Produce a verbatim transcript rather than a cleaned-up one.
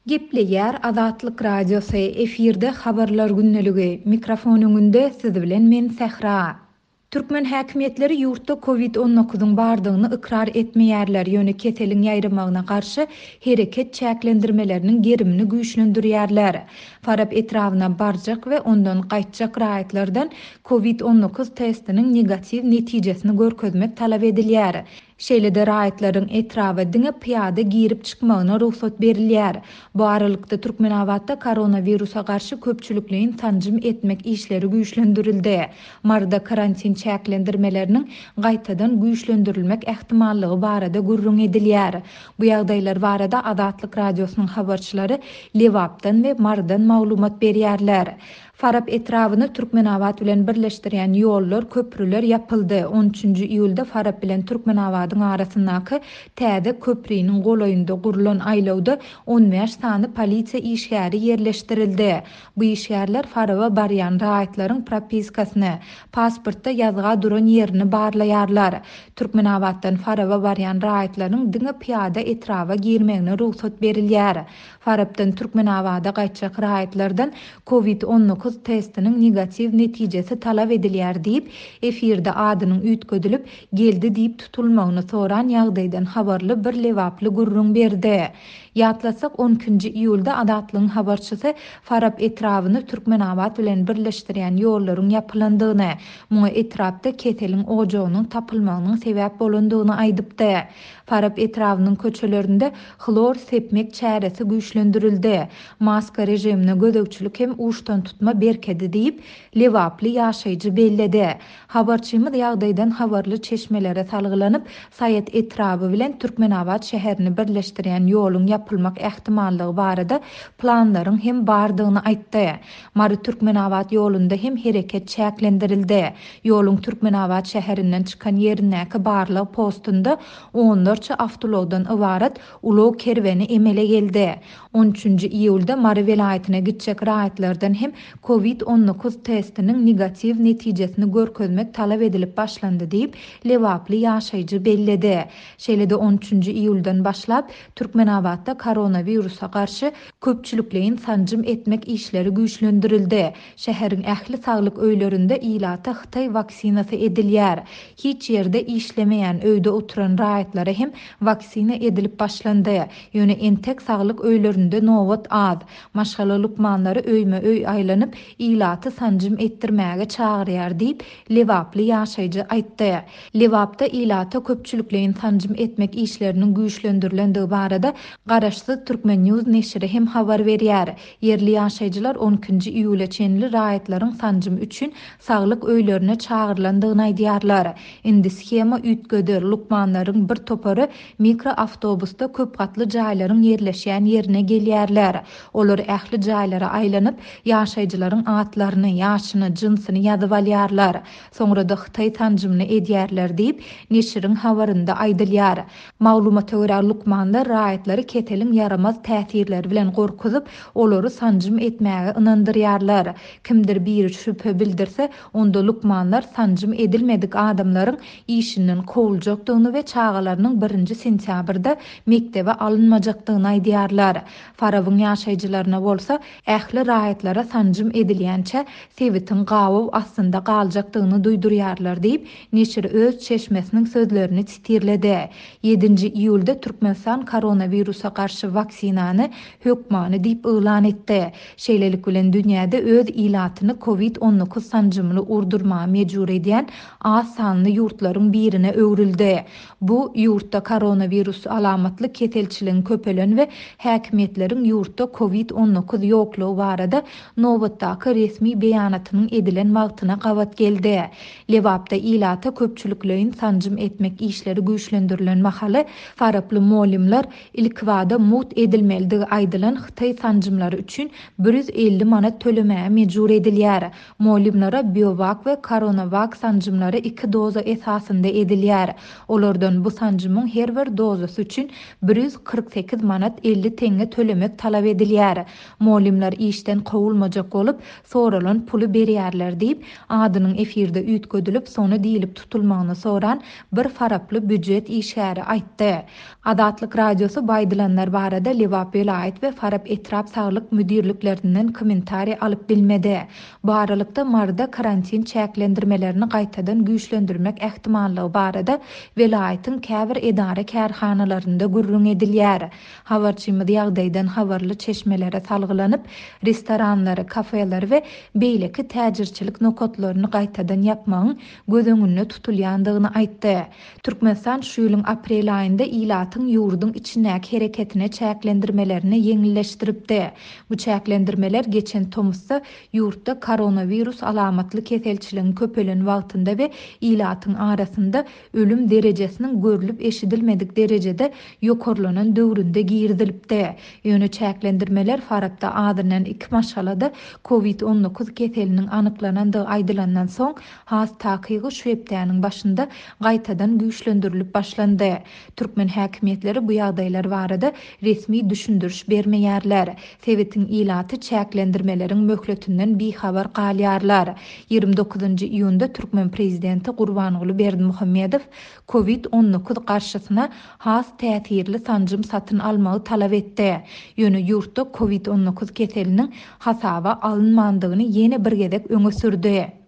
Gepleýär Azatlyk Radiosy, efirde Habarlar gündeligi, mikrofon öňünde siz bilen men Sähra. Türkmen häkimiýetleri ýurtda Covid on dokuzyň bardygyny ykrar etmeýärler, ýöne keseliň ýaýramagyna garşy hereket çäklendirmeleriniň gerimini güýçlendirýärler. Farap etrabyna barjak we ondan gaýtjak raýatlardan Covid on dokuz testiniň negatiw netijesini görkezmek talap edilýär. Şeýle-de raýatlaryň etraba diňe pyýada girip çykmagyna rugsat berilýär. Bu aralykda Türkmenabatda koronawirusa garşy köpçülikleýin sanjym etmek işleri güýçlendirildi. Maryda karantin çäklendirmeleriniň gaýtadan güýçlendirilmek ähtimallygy barada gürrüň edilýär. Bu ýagdaýlar barada Azatlyk Radiosynyň habarçylary Lebapdan we Marydan maglumat berýärler. Farap etrabyny Türkmenabat bilen birleşdirýän ýollar, köprüler ýapyldy. on üçünji iýulda Farap bilen Türkmenabadyň arasyndaky täze köpriniň golaýynda gurulan aýlawda on bäş sany polisiýa işgäri ýerleşdirildi. Bu işgärler Faraba barýan raýatlaryň propiskasyny, pasportda ýazga duran ýerini barlaýarlar. Türkmenabatdan Faraba barýan raýatlaryň diňe pyýada etraba girmegine rugsat berilýär. Farapdan Türkmenabada gaýtjak raýatlardan Covid on dokuz testiniň negatiw netijesi talap edilýär diýip, efirde adynyň üýtgedilip, geldi diýip tutulmagyny soran ýagdaýdan habarly bir lebaply gürrüň berdi. Ýatlasak on ikinji iýulda Azatlygyň habarçysy Farap etrabyny Türkmenabat bilen birleşdirýän ýollaryň ýapylandygyny, muňa etrapda keseliň ojagynyň tapylmagynyň sebäp bolandygyny aýdypdy. Farap etrabynyň köçelerinde hlor sepmek çäresi güýçlendirildi. Maska rejimine gözegçilik hem uçdan tutma berkedi diýip, lebaply ýaşaýjy belledi. Habarçymyz ýagdaýdan habarly çeşmelere salgylanyp, Saýat etraby bilen Türkmenabat şäherini birleşdirýän ýoluň ýapylmak ähtimallygy barada planlaryň hem bardygyny aýtdy. Mary Türkmenabat ýolunda hem hereket çäklendirildi. Ýoluň Türkmenabat şäherinden çykan ýerindäki barlag postunda onlarça awtoulagdan ybarat ulag kerweni emele geldi. on üçünji iýulda Mary welaýatyna gitjek raýatlardan hem Covid on dokuz testiniň negatiw netijesini görkezmek talap edilip başlandy diýip, lebaply ýaşaýjy belledi. Şeýle-de on üçünji iýuldan başlap Türkmenabatda koronawirusa garşy köpçülikleýin sanjym etmek işleri güýçlendirildi. Şäheriň ähli saglyk öýlerinde ilata Hytaý waksinasy edilýär. Hiç ýerde işlemeýän öýde oturan raýatlara hem waksina edilip başlandy. Ýöne entek saglyk öýlerinde nobat az. Maşgala lukmanlary öýme öý aýlanyp ilaty sanjym etdirmäge çagyrýar diýip, lebaply ýaşaýjy aýtdy. Lebapda ilata köpçülikleýin sanjym etmek işleriniň güýçlendirilendigi barada Garaşsyz Türkmen News neşiri hem habar berýär. Ýerli ýaşaýjylar on ikinji iýula çenli raýatlaryň sanjym üçin saglyk öýlerine çagyrylandygyny aýdýarlar. Indi shema üýtgedi. Lukmanlaryň bir topary mikroawtobusda köp gatly jaýlaryň ýerleşýän ýerine gelýärler. Olar ähli jaýlara aýlanyp, ýaşaýjylaryň atlaryny, ýaşyny, jynsyny ýazyp alýarlar. Soňra da Hytaý sanjymyny edýärler diýip, neşiriň habarynda aýdylýar. Maglumata görä lukmanlar raýatlary keseliň ýaramaz täsirleri bilen gorkuzyp, olary sanjym etmäge ynandyrýarlar. Kimdir biri şübhe bildirse, onda lukmanlar sanjym edilmedik adamlaryň işinden kowuljakdygyny we çagalarynyň birinji sentýabrda mekdebe alynmajakdygyny aýdýarlar. Farabyň ýaşaýjylaryna bolsa ähli raýatlara sanjym edilýänçä sebitiň gabaw astynda galjakdygyny duýdurýarlar diýip, neşir öz çeşmesiniň sözlerini titirledi. Ýedinji iýulda Türkmenistan koronawirusa garşy waksinany hökmany diýip yglan etdi. Şeýlelik bilen dünýäde öz ilatyny Covid on dokuz sanjymyny urdurmaga mejbur edýän az sanly ýurtlaryň birine öwrüldi. Bu ýurtda koronawirus alamatly keselçiligiň köpelen we häkimiýetleriň ýurtda Covid on dokuz ýoklugy barada nobatdaky resmi beýanatynyň edilen wagtyna gabat geldi. Lebapda ilata köpçülikleýin sanjym etmek işleri güýçlendirilen mahaly faraply molimler ilkibada mugt edilmelidigi aýdylan Hytaý sanjymlary üçin bir ýüz elli manat tölemäge mejbur edilýär. Molimlere BioVac we CoronaVac sanjymlary iki doza esasynda edilýär. Olardan bu sanjymyň her bir dozasy üçin bir ýüz kyrk sekiz manat elli teňňe tölemek talap edilýär. Molimler işden kowulmajak bolup, soralan puly berýärler diýip, adynyň efirde üýtgedilip, sony diýilip tutulmagyny soran bir faraply býujet işgäri aýtdy. Azatlyk Radiosy bu aýdylanlara Aýdylanlar barada Lebap welaýat we Farap etrap saglyk müdirliklerinden kommentariý alyp bilmedi. Bu aralykda, Maryda karantin çäklendirmelerini gaýtadan güýçlendirmek ähtimallygy barada welaýatyň käbir edara-kärhanalarynda gürrüň edilýär. Habarçymyz ýagdaýdan habarly çeşmelere salgylanyp, restoranlary, kafeleri we beýleki täjirçilik nokatlaryny gaýtadan ýapmagyň göz öňünde tutulýandygyny aýtdy. Türkmenistan şu ýylyň aprel aýynda ilatyň ýurduň içindäki hereketine çäklendirmelerini ýeňilleşdiripdi. Bu çäklendirmeler geçen tomusda ýurtda koronawirus alamatly keselçiligiň köpelen wagtynda we ilatyň arasynda ölüm derejesiniň görlüp-eşidilmedik derejede ýokarlanan döwründe girizilipdi. Ýöne çäklendirmeler Farapda azyndan iki maşgalada Covid on dokuz keseliniň anyklanandygy aýdylandan soň, has takygy şu hepdäniň başynda gaýtadan güýçlendirilip başlandy. Türkmen häkimiýetleri bu ýagdaýlar barada resmi düşündiriş bermeýärler. Sebitiň ilaty çäklendirmeleriň möhletinden bihabar galýarlar. Ýigrimi dokuzynjy iýunda türkmen prezidenti Gurbanguly Berdimuhamedow Covid on dokuz garşysyna has täsirli sanjym satyn almagy talap etdi. Ýöne ýurtda Covid on dokuz keseliniň hasaba alynmandygyny ýene bir gezek öňe sürdi.